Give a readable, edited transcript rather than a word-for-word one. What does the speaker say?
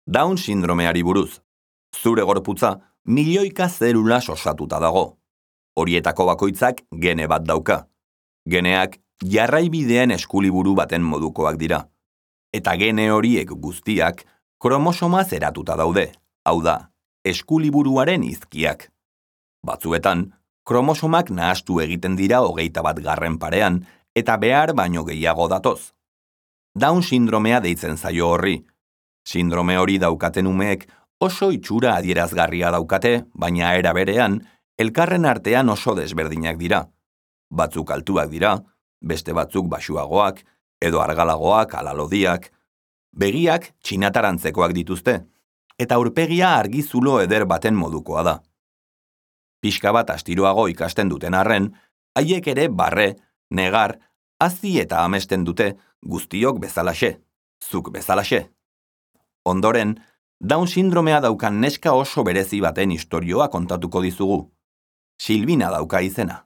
Down sindromeari buruz. Zure gorputza milioika zelula osatuta dago. Horietako bakoitzak gene bat dauka. Geneak jarraibideen eskuliburu baten modukoak dira. Eta gene horiek guztiak kromosoma zeratuta daude. Hau da, eskuliburuaren izkiak. Batzuetan, kromosomak nahastu egiten dira 21 parean eta behar baino gehiago datoz. Down sindromea deitzen zaio horri. Sindrome hori daukaten umeek oso itxura adierazgarria daukate, baina era berean, elkarren artean oso desberdinak dira. Batzuk altuak dira, beste batzuk baxuagoak, edo argalagoak ala lodiak. Begiak txinatarantzekoak dituzte, eta aurpegia argizulo eder baten modukoa da. Pixka bat astiroago ikasten duten arren, haiek ere barre, negar, hazi eta amesten dute guztiok bezalaxe, zuk bezalaxe. Ondoren, Down sindromea daukan neska oso berezi baten istorioa kontatuko dizugu. Silvina dauka izena.